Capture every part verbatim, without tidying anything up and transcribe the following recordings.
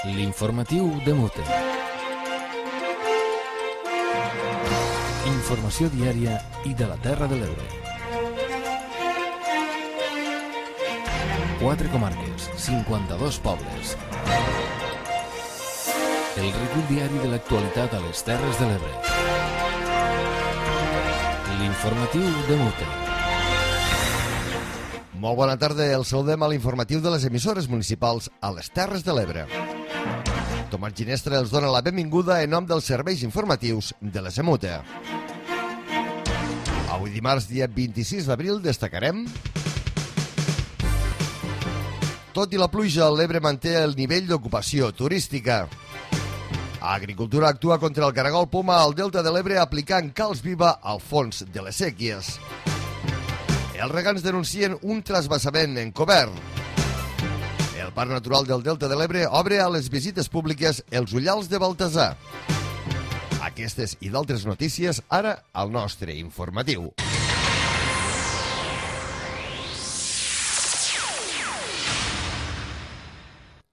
L'informatiu de Mute. Informació diària i de la Terra de l'Ebre. Quatre comarques, cinquanta-dos pobles. El recull diari de l'actualitat a les Terres de l'Ebre. L'informatiu de Mute. Molt bona tarda, el saludem a l'informatiu de les emissores municipals a les Terres de l'Ebre. Tomàs Ginestra els dona la benvinguda en nom dels serveis informatius de la Semute. Avui dimarts, dia vint-i-sis d'abril, destacarem: tot i la pluja, l'Ebre manté el nivell d'ocupació turística. Agricultura actua contra el caragol poma al Delta de l'Ebre aplicant calç viva al fons de les séquies. Els regants denuncien un trasbassament encobert. El Parc Natural del Delta de l'Ebre obre a les visites públiques els ullals de Baltasar. Aquestes i d'altres notícies ara al nostre informatiu.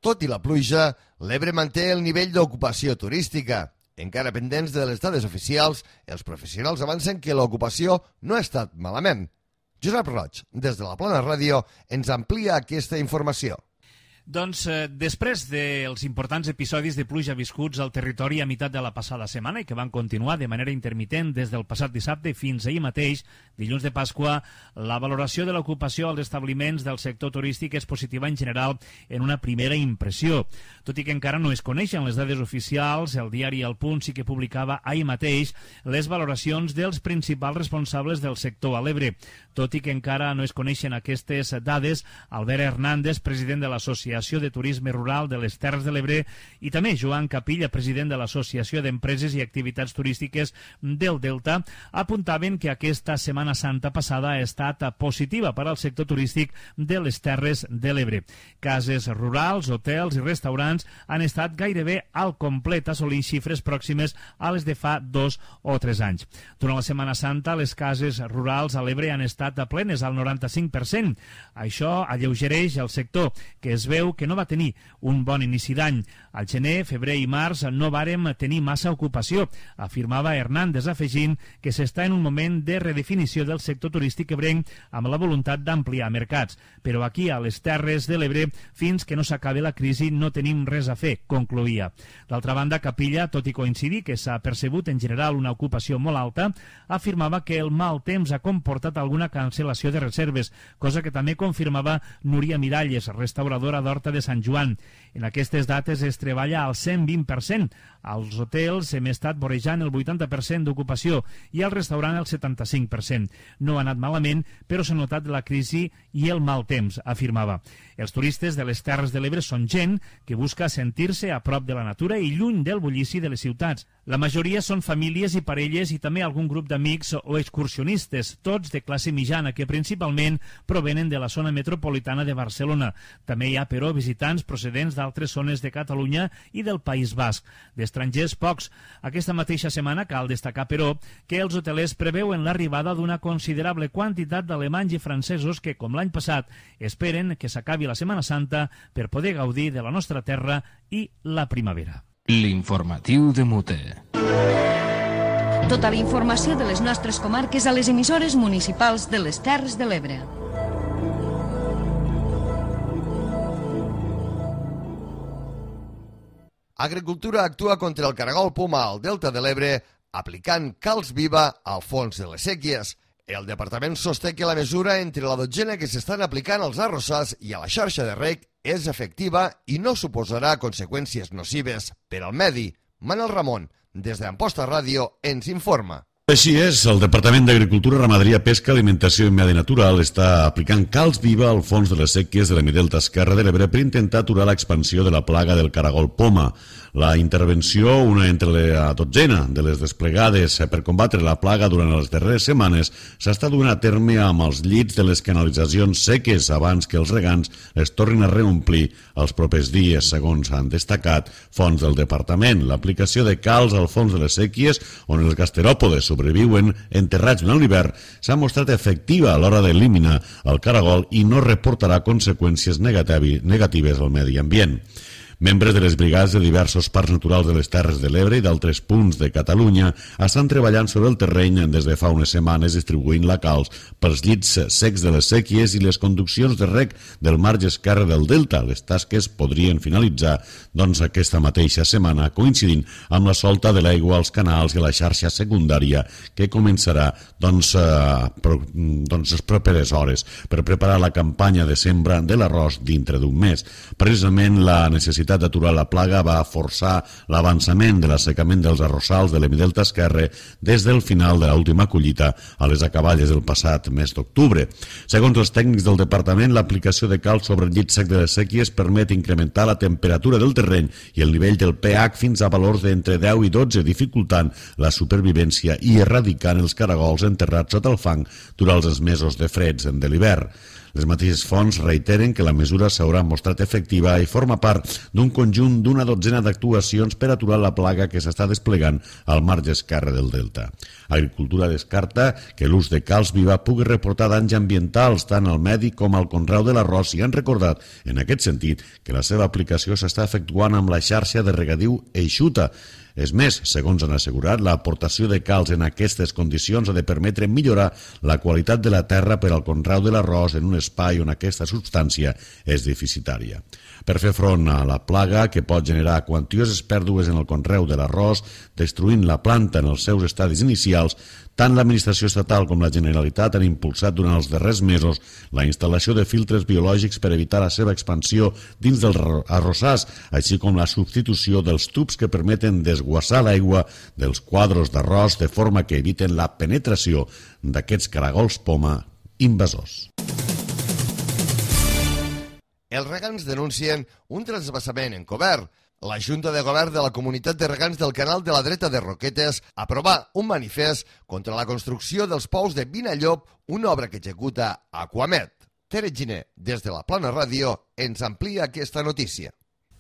Tot i la pluja, l'Ebre manté el nivell d'ocupació turística. Encara pendents de les dades oficials, els professionals avancen que l'ocupació no ha estat malament. Josep Roig, des de la Plana Ràdio, ens amplia aquesta informació. Doncs eh, després dels importants episodis de pluja viscuts al territori a meitat de la passada setmana i que van continuar de manera intermitent des del passat dissabte fins ahir mateix, dilluns de Pasqua, la valoració de l'ocupació als establiments del sector turístic és positiva en general en una primera impressió. Tot i que encara no es coneixen les dades oficials, el diari El Punt sí que publicava ahir mateix les valoracions dels principals responsables del sector a l'Ebre. Tot i que encara no es coneixen aquestes dades, Albert Hernández, president de l'Associació de Turisme Rural de les Terres de l'Ebre, i també Joan Capilla, president de l'Associació d'Empreses i Activitats Turístiques del Delta, apuntaven que aquesta Setmana Santa passada ha estat positiva per al sector turístic de les Terres de l'Ebre. Cases rurals, hotels i restaurants han estat gairebé al complet, assolint xifres pròximes a les de fa dos o tres anys. Durant la Setmana Santa, les cases rurals a l'Ebre han estat plenes al noranta-cinc per cent. Això alleugereix el sector, que es veu que no va tenir un bon inici d'any. Al gener, febrer i març no vàrem tenir massa ocupació, afirmava Hernández, afegint que s'està en un moment de redefinició del sector turístic ebrenc amb la voluntat d'ampliar mercats. Però aquí, a les Terres de l'Ebre, fins que no s'acabi la crisi, no tenim res a fer, concloïa. D'altra banda, Capilla, tot i coincidir que s'ha percebut en general una ocupació molt alta, afirmava que el mal temps ha comportat alguna cancel·lació de reserves, cosa que també confirmava Núria Miralles, restauradora d'Horta de Sant Joan. En aquestes dates es treballa al cent vint per cent. Als hotels hem estat vorejant el vuitanta per cent d'ocupació i al restaurant el setanta-cinc per cent. No ha anat malament, però s'ha notat la crisi i el mal temps, afirmava. Els turistes de les Terres de l'Ebre són gent que busca sentir-se a prop de la natura i lluny del bullici de les ciutats. La majoria són famílies i parelles i també algun grup d'amics o excursionistes, tots de classe mitjana, que principalment provenen de la zona metropolitana de Barcelona. També hi ha, però, visitants procedents d'altres zones de Catalunya i del País Basc. D'estrangers, pocs. Aquesta mateixa setmana cal destacar, però, que els hotelers preveuen l'arribada d'una considerable quantitat d'alemanys i francesos que, com l'any passat, esperen que s'acabi la Setmana Santa per poder gaudir de la nostra terra i la primavera. L'informatiu de Mute. Tota la informació de les nostres comarques a les emissores municipals de les Terres de l'Ebre. Agricultura actua contra el caragol poma al Delta de l'Ebre aplicant calç viva al fons de les séquies. El departament sosté que la mesura entre la dotzena que s'estan aplicant als arrossars i a la xarxa de reg és efectiva i no suposarà conseqüències nocives per al medi. Manel Ramon, des d'Amposta Ràdio, ens informa. Així és, el Departament d'Agricultura, Ramaderia, Pesca, Alimentació i Medi Natural està aplicant calç viva al fons de les séquies de l'hemidelta esquerre de l'Ebre per intentar aturar l'expansió de la plaga del caragol poma. La intervenció, una entre la dotzena de les desplegades per combatre la plaga durant les darreres setmanes, s'està duent a terme amb els llits de les canalitzacions seques abans que els regants les tornin a reomplir els propers dies, segons han destacat fonts del departament. L'aplicació de calç al fons de les séquies, on els gasteròpodes sobreviuen enterrats durant l'hivern, s'ha mostrat efectiva a l'hora d'eliminar el caragol i no reportarà conseqüències negatives al medi ambient. Membres de les brigades de diversos parcs naturals de les Terres de l'Ebre i d'altres punts de Catalunya estan treballant sobre el terreny des de fa unes setmanes distribuint la calç pels llits secs de les séquies i les conduccions de rec del marge esquerre del delta. Les tasques podrien finalitzar doncs, aquesta mateixa setmana, coincidint amb la solta de l'aigua als canals i a la xarxa secundària que començarà doncs, eh, pro, doncs, les properes hores per preparar la campanya de sembra de l'arròs dintre d'un mes. Precisament la necessitat d'aturar la plaga va forçar l'avançament de l'assecament dels arrossals de l'hemidelta esquerre des del final de l'última collita a les acaballes del passat mes d'octubre. Segons els tècnics del departament, l'aplicació de calç sobre el llit sec de les séquies permet incrementar la temperatura del terreny i el nivell del pH fins a valors d'entre deu i dotze, dificultant la supervivència i erradicant els caragols enterrats sota el fang durant els mesos de freds de l'hivern. Les mateixes fonts reiteren que la mesura s'haurà mostrat efectiva i forma part d'un conjunt d'una dotzena d'actuacions per aturar la plaga que s'està desplegant al marge esquerre del delta. Agricultura descarta que l'ús de calç viva pugui reportar danys ambientals tant al medi com al conreu de l'arròs i han recordat, en aquest sentit, que la seva aplicació s'està efectuant amb la xarxa de regadiu eixuta. És més, segons han assegurat, l'aportació de calç en aquestes condicions ha de permetre millorar la qualitat de la terra per al conreu de l'arròs en un espai on aquesta substància és deficitària. Per fer front a la plaga, que pot generar quantioses pèrdues en el conreu de l'arròs, destruint la planta en els seus estadis inicials, tant l'administració estatal com la Generalitat han impulsat durant els darrers mesos la instal·lació de filtres biològics per evitar la seva expansió dins dels arrossars, així com la substitució dels tubs que permeten desguassar l'aigua dels quadros d'arròs de forma que eviten la penetració d'aquests caragols poma invasors. Els regants denuncien un transvasament encobert. La Junta de Govern de la Comunitat de Regants del Canal de la Dreta de Roquetes aprovà un manifest contra la construcció dels pous de Vinallop, una obra que executa Aquamet. Tere Giner, des de la Plana Ràdio, ens amplia aquesta notícia.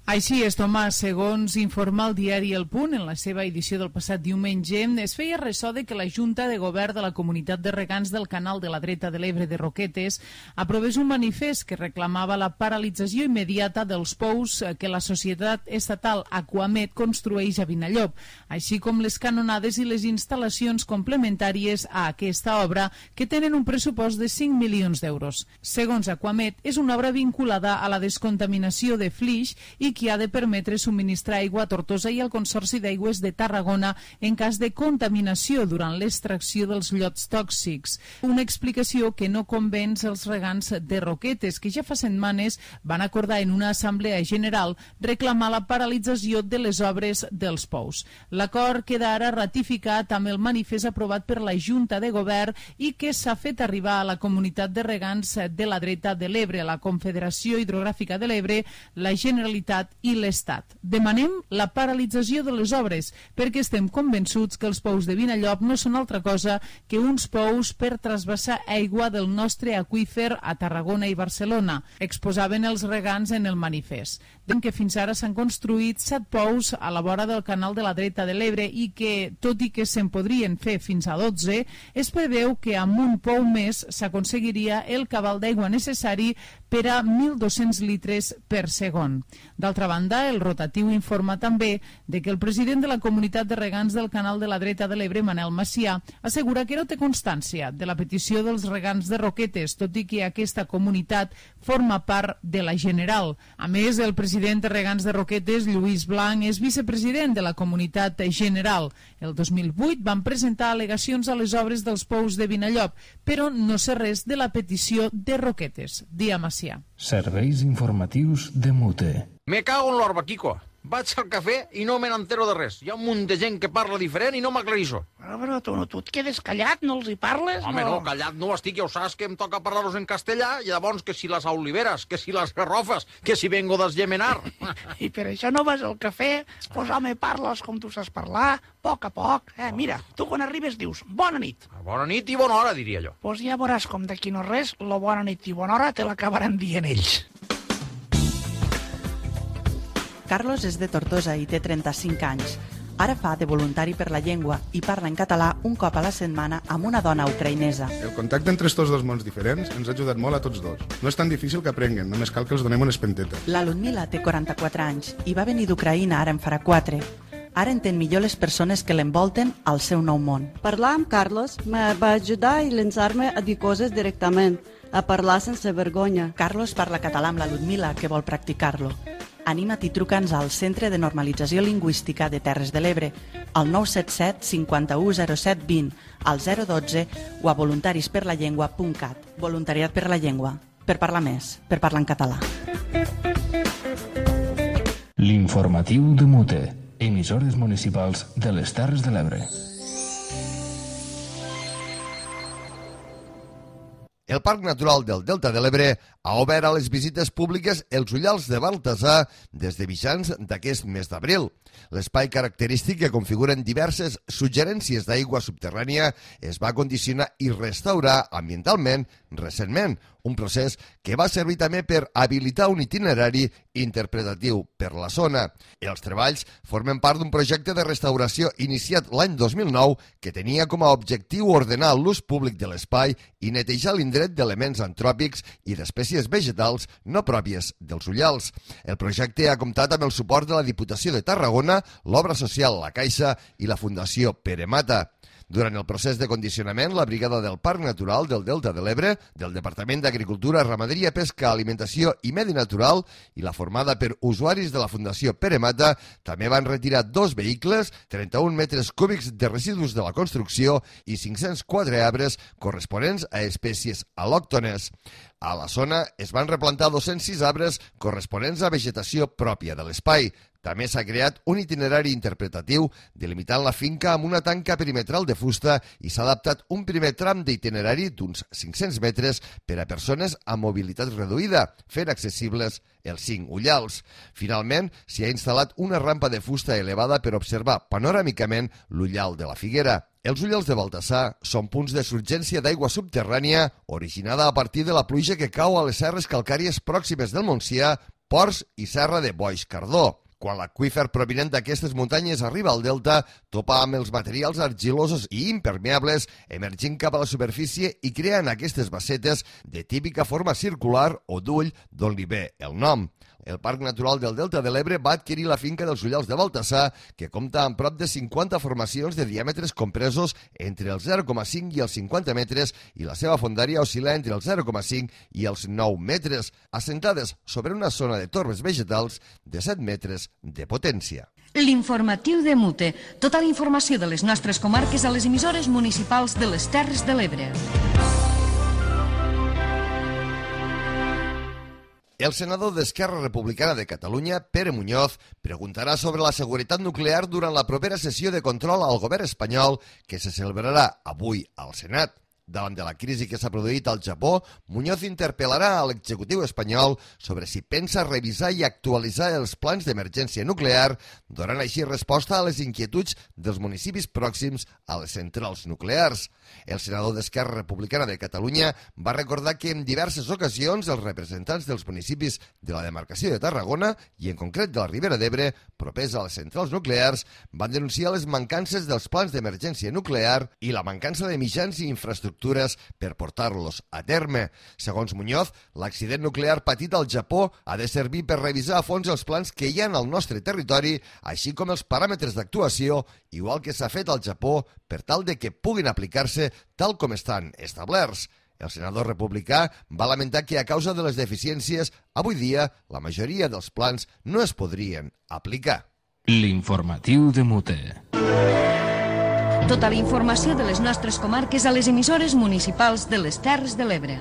Així és, Tomàs. Segons informa el diari El Punt, en la seva edició del passat diumenge, es feia ressò de que la Junta de Govern de la Comunitat de Regants del Canal de la Dreta de l'Ebre de Roquetes aprovés un manifest que reclamava la paralització immediata dels pous que la societat estatal Aquamet construeix a Vinallop, així com les canonades i les instal·lacions complementàries a aquesta obra, que tenen un pressupost de cinc milions d'euros. Segons Aquamet, és una obra vinculada a la descontaminació de flix i que ha de permetre subministrar aigua a Tortosa i al Consorci d'Aigües de Tarragona en cas de contaminació durant l'extracció dels llots tòxics. Una explicació que no convenç els regants de Roquetes, que ja fa setmanes van acordar en una assemblea general reclamar la paralització de les obres dels pous. L'acord queda ara ratificat amb el manifest aprovat per la Junta de Govern i que s'ha fet arribar a la Comunitat de Regants de la Dreta de l'Ebre, la Confederació Hidrogràfica de l'Ebre, la Generalitat i l'Estat. Demanem la paralització de les obres perquè estem convençuts que els pous de Vinallop no són altra cosa que uns pous per trasbassar aigua del nostre aqüífer a Tarragona i Barcelona, exposaven els regants en el manifest. Deien que fins ara s'han construït set pous a la vora del Canal de la Dreta de l'Ebre i que, tot i que se'n podrien fer fins a dotze, es preveu que amb un pou més s'aconseguiria el cabal d'aigua necessari per a mil dos-cents litres per segon. D'altra banda, el rotatiu informa també de que el president de la Comunitat de Regants del Canal de la Dreta de l'Ebre, Manel Macià, assegura que no té constància de la petició dels regants de Roquetes, tot i que aquesta comunitat forma part de la General. A més, el president de Regants de Roquetes, Lluís Blanc, és vicepresident de la Comunitat General. El dos mil vuit van presentar al·legacions a les obres dels pous de Vinallop, però no sé res de la petició de Roquetes. Dia Macià. Serveis informatius de Mute. Me cago en l'orba, Quico. Vaig al cafè i no me n'entero de res. Hi ha un munt de gent que parla diferent i no m'aclarisco. Però, però tu, no, tu et quedes callat, no els hi parles? Home, no, no callat no estic, ja ho saps que em toca parlar-los en castellà, i llavors que si les oliveres, que si les garrofes, que si vengo d'esgemenar. I per això no vas al cafè? Pues home, parles com tu saps parlar, a poc a poc. Eh, mira, tu quan arribes dius bona nit. Bona nit i bona hora, diria jo. Pues ja veuràs com d'aquí no res, la bona nit i bona hora te l'acabaran dient ells. Carlos és de Tortosa i té trenta-cinc anys. Ara fa de voluntari per la llengua i parla en català un cop a la setmana amb una dona ucraïnesa. El contacte entre estos dos mons diferents ens ha ajudat molt a tots dos. No és tan difícil que aprenguen, només cal que els donem unes pentetes. La Ludmila té quaranta-quatre anys i va venir d'Ucraïna, ara en farà quatre. Ara entén millor les persones que l'envolten al seu nou món. Parlar amb Carlos me va ajudar a llançar-me a dir coses directament, a parlar sense vergonya. Carlos parla català amb la Ludmila, que vol practicar-lo. Anima't i truca'ns al Centre de Normalització Lingüística de Terres de l'Ebre, al nou set set cinquanta-u zero set vint, al zero dotze o a voluntarisperlallengua punt cat. Voluntariat per la llengua. Per parlar més, per parlar en català. L'informatiu de Mute. Emissores municipals de les Terres de l'Ebre. El Parc Natural del Delta de l'Ebre ha obert a les visites públiques els Ullals de Baltasar des de mitjans d'aquest mes d'abril. L'espai característic, que configuren diverses suggerències d'aigua subterrània, es va condicionar i restaurar ambientalment recentment, un procés que va servir també per habilitar un itinerari interpretatiu per la zona. Els treballs formen part d'un projecte de restauració iniciat l'any dos mil nou que tenia com a objectiu ordenar l'ús públic de l'espai i netejar l'indret d'elements antròpics i d'espècies vegetals no pròpies dels Ullals. El projecte ha comptat amb el suport de la Diputació de Tarragona, l'Obra Social La Caixa i la Fundació Pere Mata. Durant el procés de condicionament, la Brigada del Parc Natural del Delta de l'Ebre, del Departament d'Agricultura, Ramaderia, Pesca, Alimentació i Medi Natural i la formada per usuaris de la Fundació Pere Mata també van retirar dos vehicles, trenta-un metres cúbics de residus de la construcció i cinc-cents quatre arbres corresponents a espècies al·lòctones. A la zona es van replantar dos-cents sis arbres corresponents a vegetació pròpia de l'espai. També s'ha creat un itinerari interpretatiu delimitant la finca amb una tanca perimetral de fusta i s'ha adaptat un primer tram d'itinerari d'uns cinc-cents metres per a persones amb mobilitat reduïda, fent accessibles els cinc Ullals. Finalment, s'hi ha instal·lat una rampa de fusta elevada per observar panoràmicament l'Ullal de la Figuera. Els Ullals de Baltasar són punts de surgència d'aigua subterrània originada a partir de la pluja que cau a les serres calcàries pròximes del Montsià, Ports i Serra de Boix-Cardó. Quan l'aqüífer provinent d'aquestes muntanyes arriba al delta, topa amb els materials argilosos i impermeables emergint cap a la superfície i creen aquestes bassetes de típica forma circular o d'ull, d'on li ve el nom. El Parc Natural del Delta de l'Ebre va adquirir la finca dels Ullals de Baltasar, que compta amb prop de cinquanta formacions de diàmetres compresos entre els zero coma cinc i els cinquanta metres i la seva fondària oscil·la entre els zero coma cinc i els nou metres, assentades sobre una zona de torbes vegetals de set metres de potència. L'informatiu de Mute. Tota la informació de les nostres comarques a les emissores municipals de les Terres de l'Ebre. El senador d'Esquerra Republicana de Catalunya, Pere Muñoz, preguntarà sobre la seguretat nuclear durant la propera sessió de control al govern espanyol que se celebrarà avui al Senat. Davant de la crisi que s'ha produït al Japó, Muñoz interpel·larà a l'executiu espanyol sobre si pensa revisar i actualitzar els plans d'emergència nuclear, donant així resposta a les inquietuds dels municipis pròxims a les centrals nuclears. El senador d'Esquerra Republicana de Catalunya va recordar que en diverses ocasions els representants dels municipis de la demarcació de Tarragona i en concret de la Ribera d'Ebre, propers a les centrals nuclears, van denunciar les mancances dels plans d'emergència nuclear i la mancança de mitjans i infraestructures per portar-los a terme. Segons Muñoz, l'accident nuclear patit al Japó ha de servir per revisar a fons els plans que hi ha al nostre territori, així com els paràmetres d'actuació, igual que s'ha fet al Japó, per tal de que puguin aplicar-se tal com estan establerts. El senador republicà va lamentar que a causa de les deficiències, avui dia la majoria dels plans no es podrien aplicar. L'informatiu de Mute. Tota la informació de les nostres comarques a les emissores municipals de les Terres de l'Ebre.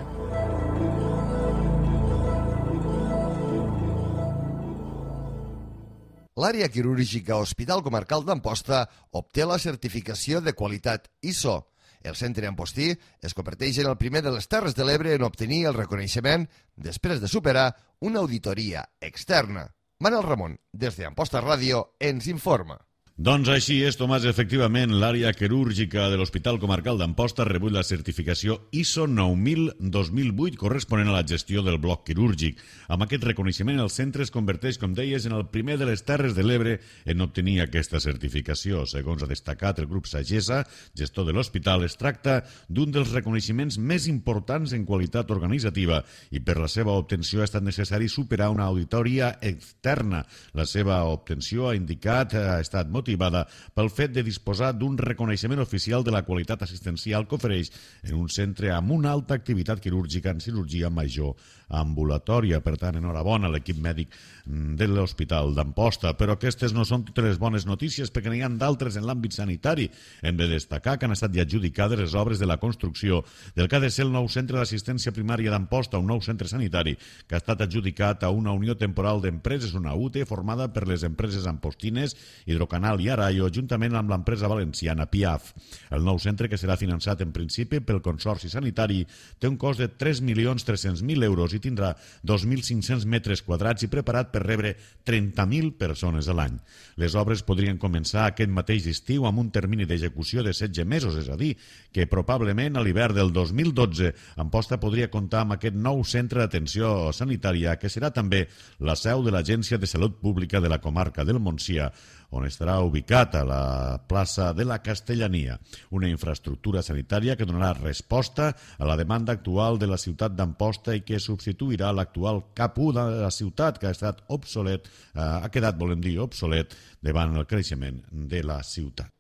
L'àrea quirúrgica Hospital Comarcal d'Amposta obté la certificació de qualitat I S O. El centre Ampostí es converteix en el primer de les Terres de l'Ebre en obtenir el reconeixement després de superar una auditoria externa. Manel Ramon, des d'Amposta Ràdio, ens informa. Doncs així és, Tomàs, efectivament, l'àrea quirúrgica de l'Hospital Comarcal d'Amposta ha rebut la certificació I S O nou mil dos mil vuit corresponent a la gestió del bloc quirúrgic. Amb aquest reconeixement, el centre es converteix, com deies, en el primer de les Terres de l'Ebre en obtenir aquesta certificació. Segons ha destacat el grup Sagessa, gestor de l'hospital, es tracta d'un dels reconeixements més importants en qualitat organitzativa i per la seva obtenció ha estat necessari superar una auditoria externa. La seva obtenció, ha indicat, ha estat motivada pel fet de disposar d'un reconeixement oficial de la qualitat assistencial que ofereix en un centre amb una alta activitat quirúrgica en cirurgia major ambulatòria. Per tant, enhorabona a l'equip mèdic de l'Hospital d'Amposta. Però aquestes no són totes les bones notícies, perquè n'hi ha d'altres en l'àmbit sanitari. Hem de destacar que han estat ja adjudicades les obres de la construcció del que ha de ser el nou centre d'assistència primària d'Amposta, un nou centre sanitari que ha estat adjudicat a una unió temporal d'empreses, una U T E, formada per les empreses ampostines, Hidrocanal i Araio, juntament amb l'empresa valenciana P I A F. El nou centre, que serà finançat en principi pel Consorci Sanitari, té un cost de tres milions tres-cents mil euros i tindrà dos mil cinc-cents metres quadrats i preparat per rebre trenta mil persones a l'any. Les obres podrien començar aquest mateix estiu amb un termini d'execució de setze mesos, és a dir, que probablement a l'hivern del dos mil dotze Amposta podria comptar amb aquest nou centre d'atenció sanitària, que serà també la seu de l'Agència de Salut Pública de la comarca del Montsià, on estarà ubicat a la plaça de la Castellania, una infraestructura sanitària que donarà resposta a la demanda actual de la ciutat d'Amposta i que substituirà l'actual cap u de la ciutat, que ha estat obsolet, eh, ha quedat, volem dir, obsolet davant el creixement de la ciutat.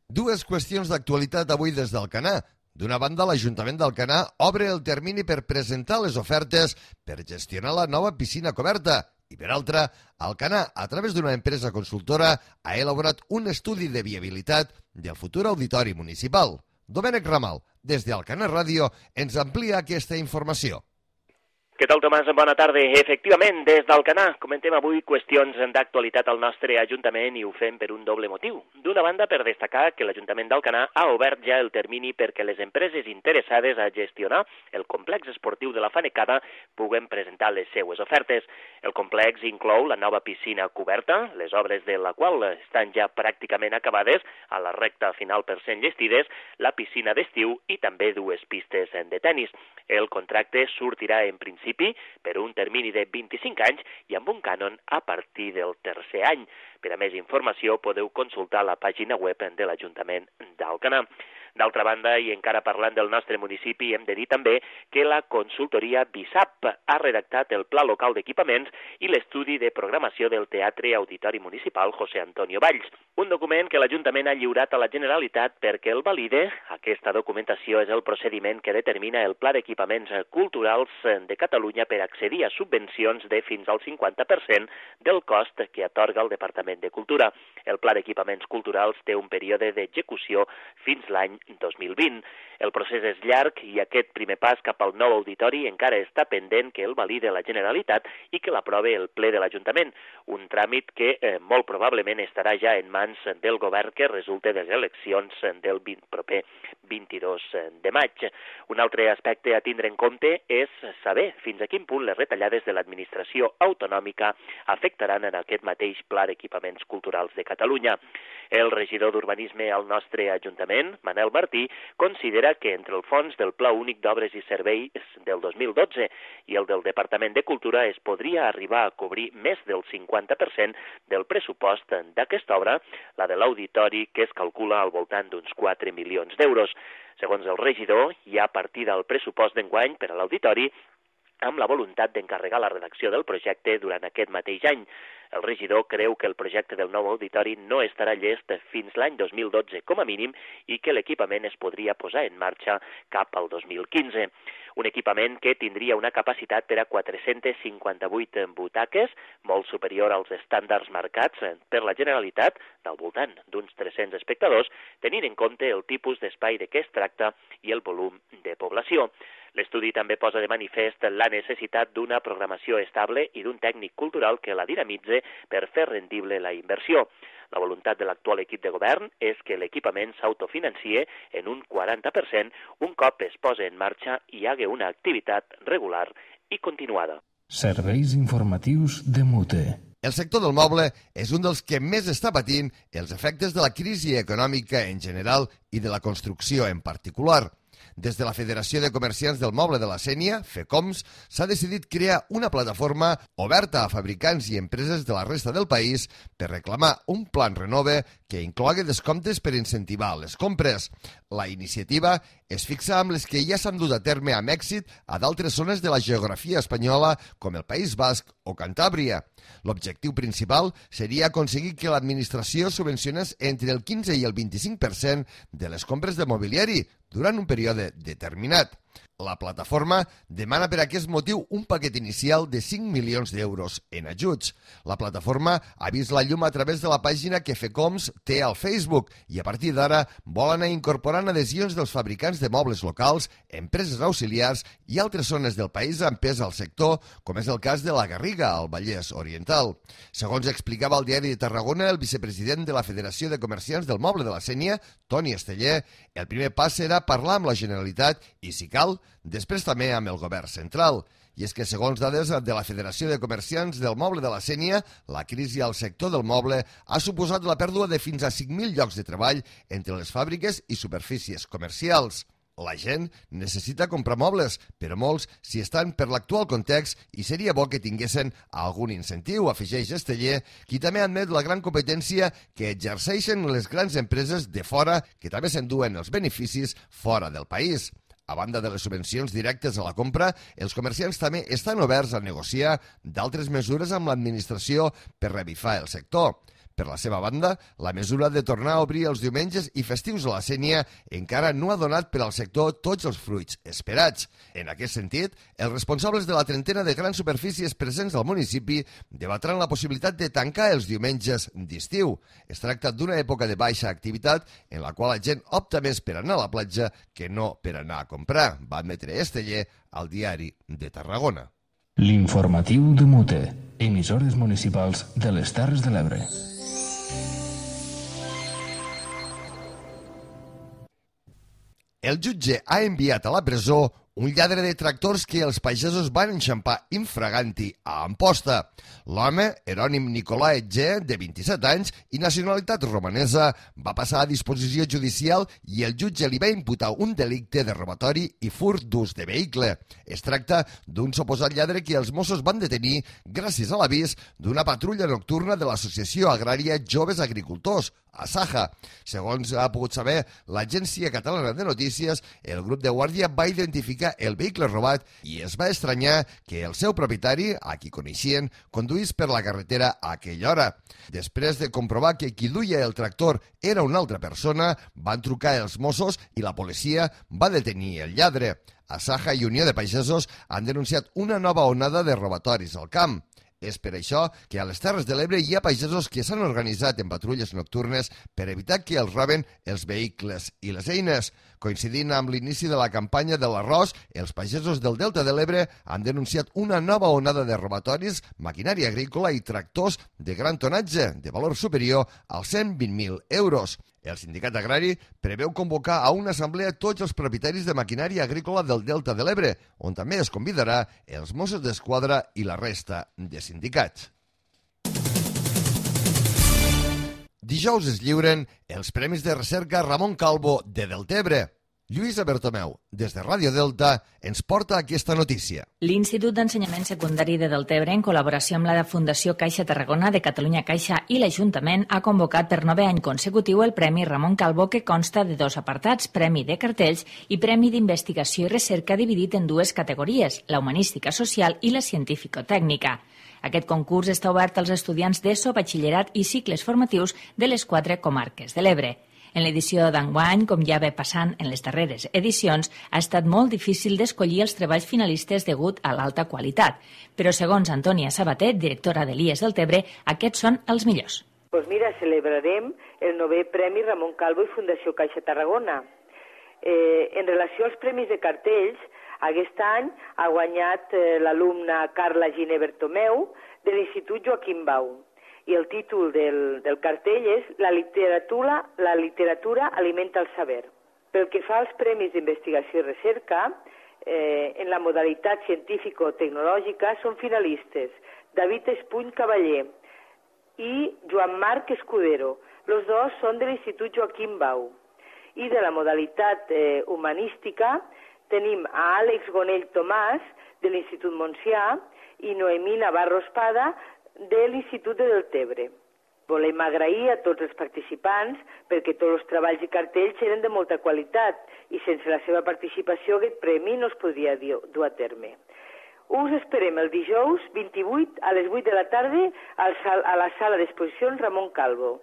Dues qüestions d'actualitat avui des d'Alcanar. D'una banda, l'Ajuntament d'Alcanar obre el termini per presentar les ofertes per gestionar la nova piscina coberta. I per altra, Alcanar, a través d'una empresa consultora, ha elaborat un estudi de viabilitat del futur auditori municipal. Domènec Ramal, des d'Alcanar Ràdio, ens amplia aquesta informació. Què tal, Tomàs? Bona tarda. Efectivament, des d'Alcanar comentem avui qüestions d'actualitat al nostre Ajuntament i ho fem per un doble motiu. D'una banda, per destacar que l'Ajuntament d'Alcanar ha obert ja el termini perquè les empreses interessades a gestionar el complex esportiu de la Fanecada puguen presentar les seues ofertes. El complex inclou la nova piscina coberta, les obres de la qual estan ja pràcticament acabades, a la recta final per ser enllestides, la piscina d'estiu i també dues pistes de tennis. El contracte sortirà en principi per un termini de vint-i-cinc anys i amb un cànon a partir del tercer any. Per a més informació podeu consultar la pàgina web de l'Ajuntament d'Alcanar. D'altra banda, i encara parlant del nostre municipi, hem de dir també que la consultoria BISAP ha redactat el Pla Local d'Equipaments i l'estudi de programació del Teatre Auditori Municipal José Antonio Valls, un document que l'Ajuntament ha lliurat a la Generalitat perquè el valide. Aquesta documentació és el procediment que determina el Pla d'Equipaments Culturals de Catalunya per accedir a subvencions de fins al cinquanta per cent del cost que atorga el Departament de Cultura. El Pla d'Equipaments Culturals té un període d'execució fins l'any dos mil vint. El procés és llarg i aquest primer pas cap al nou auditori encara està pendent que el valide la Generalitat i que l'aprove el ple de l'Ajuntament, un tràmit que eh, molt probablement estarà ja en mans del govern que resulta de les eleccions del vint, proper vint-i-dos de maig. Un altre aspecte a tindre en compte és saber fins a quin punt les retallades de l'administració autonòmica afectaran en aquest mateix Pla d'Equipaments Culturals de Catalunya. El regidor d'Urbanisme al nostre Ajuntament, Manel Martí, considera que entre el fons del Pla Únic d'Obres i Serveis del dos mil dotze i el del Departament de Cultura es podria arribar a cobrir més del cinquanta per cent del pressupost d'aquesta obra, la de l'auditori, que es calcula al voltant d'uns quatre milions d'euros. Segons el regidor, hi ha partida al pressupost d'enguany per a l'auditori amb la voluntat d'encarregar la redacció del projecte durant aquest mateix any. El regidor creu que el projecte del nou auditori no estarà llest fins l'any dos mil dotze com a mínim i que l'equipament es podria posar en marxa cap al dos mil quinze. Un equipament que tindria una capacitat per a quatre-cents cinquanta-vuit butaques, molt superior als estàndards marcats per la Generalitat, del voltant d'uns tres-cents espectadors, tenint en compte el tipus d'espai de què es tracta i el volum de població. L'estudi també posa de manifest la necessitat d'una programació estable i d'un tècnic cultural que la dinamitze per fer rendible la inversió. La voluntat de l'actual equip de govern és que l'equipament s'autofinancie en un quaranta per cent un cop es posa en marxa i hi hagi una activitat regular i continuada. Serveis informatius de Mute. El sector del moble és un dels que més està patint els efectes de la crisi econòmica en general i de la construcció en particular. Des de la Federació de Comerciants del Moble de la Sénia, FECOMS, s'ha decidit crear una plataforma oberta a fabricants i empreses de la resta del país per reclamar un plan Renove que inclogui descomptes per incentivar les compres. La iniciativa es fixa amb les que ja s'han dut a terme amb èxit a d'altres zones de la geografia espanyola, com el País Basc o Cantàbria. L'objectiu principal seria aconseguir que l'administració subvencionés entre el quinze i el vint-i-cinc per cent de les compres de mobiliari durant un període determinat. La plataforma demana per aquest motiu un paquet inicial de cinc milions d'euros en ajuts. La plataforma ha vist la llum a través de la pàgina que FECOMS té al Facebook i a partir d'ara vol anar incorporant adhesions dels fabricants de mobles locals, empreses auxiliars i altres zones del país amb pes al sector, com és el cas de la Garriga, al Vallès Oriental. Segons explicava al Diari de Tarragona el vicepresident de la Federació de Comerciants del Moble de la Sénia, Toni Esteller, el primer pas serà parlar amb la Generalitat i, si cal, després també amb el govern central. I és que, segons dades de la Federació de Comerciants del Moble de la Sénia, la crisi al sector del moble ha suposat la pèrdua de fins a cinc mil llocs de treball entre les fàbriques i superfícies comercials. La gent necessita comprar mobles, però molts s'hi estan per l'actual context i seria bo que tinguessin algun incentiu, afegeix Esteller, qui també admet la gran competència que exerceixen les grans empreses de fora que també s'enduen els beneficis fora del país. A banda de les subvencions directes a la compra, els comerciants també estan oberts a negociar d'altres mesures amb l'administració per revifar el sector. Per la seva banda, la mesura de tornar a obrir els diumenges i festius a la Sénia encara no ha donat per al sector tots els fruits esperats. En aquest sentit, els responsables de la trentena de grans superfícies presents al municipi debatran la possibilitat de tancar els diumenges d'estiu. Es tracta d'una època de baixa activitat en la qual la gent opta més per anar a la platja que no per anar a comprar, va admetre Esteller al Diari de Tarragona. L'informatiu de Mute, emissores municipals de les Terres de l'Ebre. El jutge ha enviat a la presó un lladre de tractors que els pagesos van enxampar infraganti a Amposta. L'home, Erònim Nicolae G, de vint-i-set anys i nacionalitat romanesa, va passar a disposició judicial i el jutge li va imputar un delicte de robatori i furt d'ús de vehicle. Es tracta d'un suposat lladre que els Mossos van detenir gràcies a l'avís d'una patrulla nocturna de l'Associació Agrària Joves Agricultors, Asaja. Segons ha pogut saber l'Agència Catalana de Notícies, el grup de guàrdia va identificar el vehicle robat i es va estranyar que el seu propietari, a qui coneixien, conduís per la carretera a aquella hora. Després de comprovar que qui duia el tractor era una altra persona, van trucar els Mossos i la policia va detenir el lladre. Asaja i Unió de Pagesos han denunciat una nova onada de robatoris al camp. És per això que a les Terres de l'Ebre hi ha pagesos que s'han organitzat en patrulles nocturnes per evitar que els roben els vehicles i les eines. Coincidint amb l'inici de la campanya de l'arròs, els pagesos del Delta de l'Ebre han denunciat una nova onada de robatoris, maquinària agrícola i tractors de gran tonatge, de valor superior als cent vint mil euros. El sindicat agrari preveu convocar a una assemblea tots els propietaris de maquinària agrícola del Delta de l'Ebre, on també es convidarà els Mossos d'Esquadra i la resta de sindicats. Dijous es lliuren els Premis de Recerca Ramon Calvo de Deltebre. Lluïsa Bertomeu, des de Ràdio Delta, ens porta aquesta notícia. L'Institut d'Ensenyament Secundari de Deltebre, en col·laboració amb la Fundació Caixa Tarragona de Catalunya Caixa i l'Ajuntament, ha convocat per nove any consecutiu el Premi Ramon Calvo, que consta de dos apartats, Premi de Cartells i Premi d'Investigació i Recerca, dividit en dues categories, la humanística social i la científico-tècnica. Aquest concurs està obert als estudiants d'ESO, batxillerat i cicles formatius de les quatre comarques de l'Ebre. En l'edició d'enguany, com ja ve passant en les darreres edicions, ha estat molt difícil d'escollir els treballs finalistes degut a l'alta qualitat. Però segons Antònia Sabatet, directora de l'I E S Deltebre, aquests són els millors. Doncs mira, celebrarem el novè Premi Ramon Calvo i Fundació Caixa Tarragona. Eh, en relació als premis de cartells, aquest any ha guanyat eh, l'alumna Carla Giner Bertomeu de l'Institut Joaquim Bau. I el títol del, del cartell és La literatura, la literatura alimenta el saber. Pel que fa als premis d'investigació i recerca, eh, en la modalitat científico-tecnològica són finalistes David Espuny Cavaller, i Joan Marc Escudero. Los dos són de l'Institut Joaquim Bau. I de la modalitat eh, humanística tenim a Àlex Gonell Tomàs, de l'Institut Montsià, i Noemí Navarro Espada, de l'Institut de Deltebre. Volem agrair a tots els participants perquè tots els treballs i cartells eren de molta qualitat i sense la seva participació aquest premi no es podria dur a terme. Us esperem el dijous vint-i-vuit a les vuit de la tarda a la sala d'exposicions Ramon Calvo.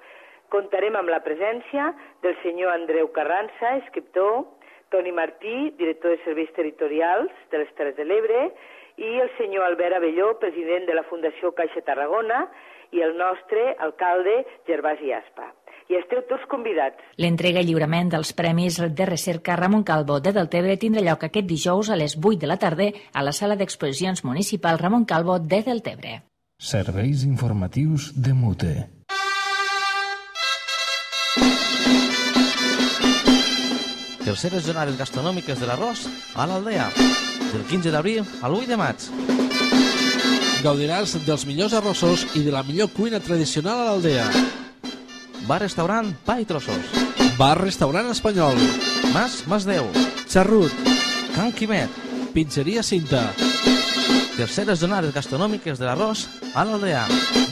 Comptarem amb la presència del senyor Andreu Carranza, escriptor, Toni Martí, director de Serveis Territorials de les Terres de l'Ebre, i el senyor Albert Abelló, president de la Fundació Caixa Tarragona, i el nostre alcalde Gervasi Aspa. I esteu tots convidats. L'entrega i lliurament dels Premis de Recerca Ramon Calvo de Deltebre tindrà lloc aquest dijous a les vuit de la tarda a la sala d'exposicions municipal Ramon Calvo de Deltebre. Serveis informatius de Mute. Terceres jornades gastronòmiques de l'arròs a l'Aldea, del quinze d'abril al vuit de maig. Gaudiràs dels millors arrossos i de la millor cuina tradicional a l'Aldea. Bar-restaurant Pa i Trossos. Bar-restaurant espanyol. Mas Masdeu. Xarrut. Can Quimet. Pizzeria Cinta. Terceres jornades gastronòmiques de l'arròs a l'Aldea.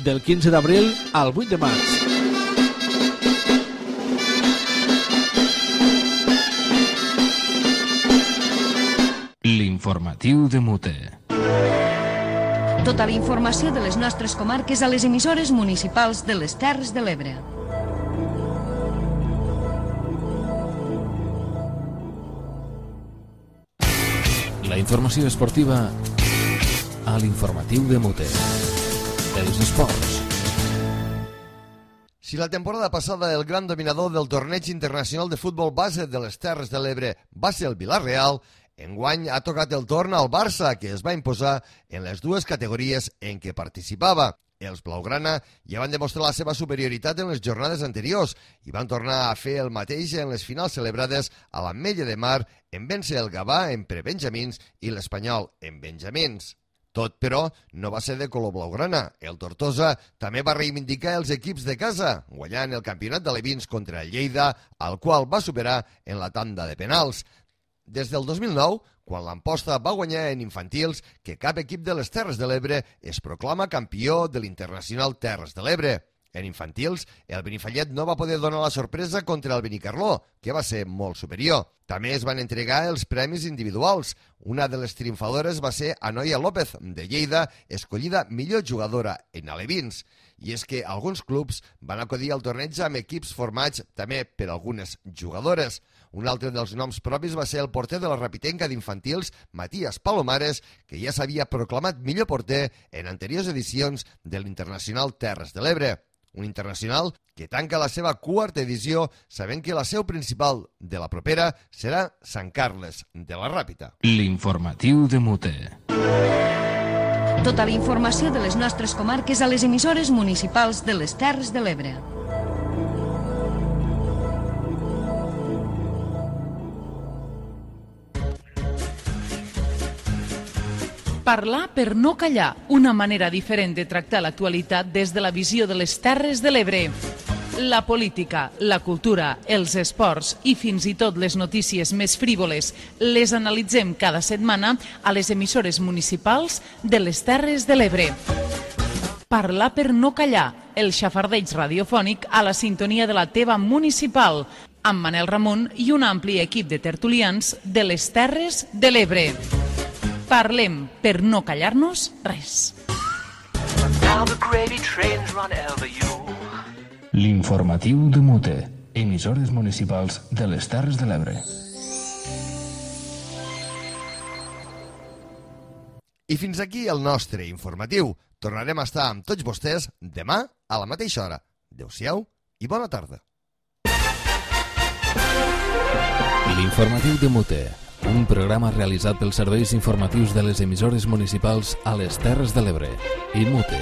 Del quinze d'abril al vuit de maig. L'informatiu de Mute. Tota la informació de les nostres comarques a les emissores municipals de les Terres de l'Ebre. La informació esportiva a l'informatiu de Mute. Els esports. Si la temporada passada el gran dominador del torneig internacional de futbol base de les Terres de l'Ebre va ser el Vila-real, enguany ha tocat el torn al Barça, que es va imposar en les dues categories en què participava. Els blaugrana ja van demostrar la seva superioritat en les jornades anteriors i van tornar a fer el mateix en les finals celebrades a l'Ametlla de Mar, en vèncer el Gavà en prebenjamins i l'Espanyol en benjamins. Tot, però, no va ser de color blaugrana. El Tortosa també va reivindicar els equips de casa, guanyant el campionat d'alevins contra el Lleida, al qual va superar en la tanda de penals. Des del dos mil nou, quan l'Amposta va guanyar en infantils, que cap equip de les Terres de l'Ebre es proclama campió de l'Internacional Terres de l'Ebre. En infantils, el Benifallet no va poder donar la sorpresa contra el Benicarló, que va ser molt superior. També es van entregar els premis individuals. Una de les triomfadores va ser Anoia López, de Lleida, escollida millor jugadora en alevins. I és que alguns clubs van acudir al torneig amb equips formats també per algunes jugadores. Un altre dels noms propis va ser el porter de la Rapitenca d'infantils, Matías Palomares, que ja s'havia proclamat millor porter en anteriors edicions de l'Internacional Terres de l'Ebre. Un internacional que tanca la seva quarta edició sabent que la seu principal de la propera serà Sant Carles de la Ràpita. L'informatiu de Mute. Tota la informació de les nostres comarques a les emissores municipals de les Terres de l'Ebre. Parlar per no callar, una manera diferent de tractar l'actualitat des de la visió de les Terres de l'Ebre. La política, la cultura, els esports i fins i tot les notícies més frívoles les analitzem cada setmana a les emissores municipals de les Terres de l'Ebre. Parlar per no callar, el xafardeig radiofònic a la sintonia de la teva municipal, amb Manel Ramon i un ampli equip de tertulians de les Terres de l'Ebre. Parlem per no callar-nos res. L'informatiu de Mute, emissores municipals de les Terres de l'Ebre. I fins aquí el nostre informatiu. Tornarem a estar amb tots vostès demà a la mateixa hora. Adéu-siau i bona tarda. L'informatiu de Mute, un programa realitzat pels serveis informatius de les emissores municipals a les Terres de l'Ebre i Mute.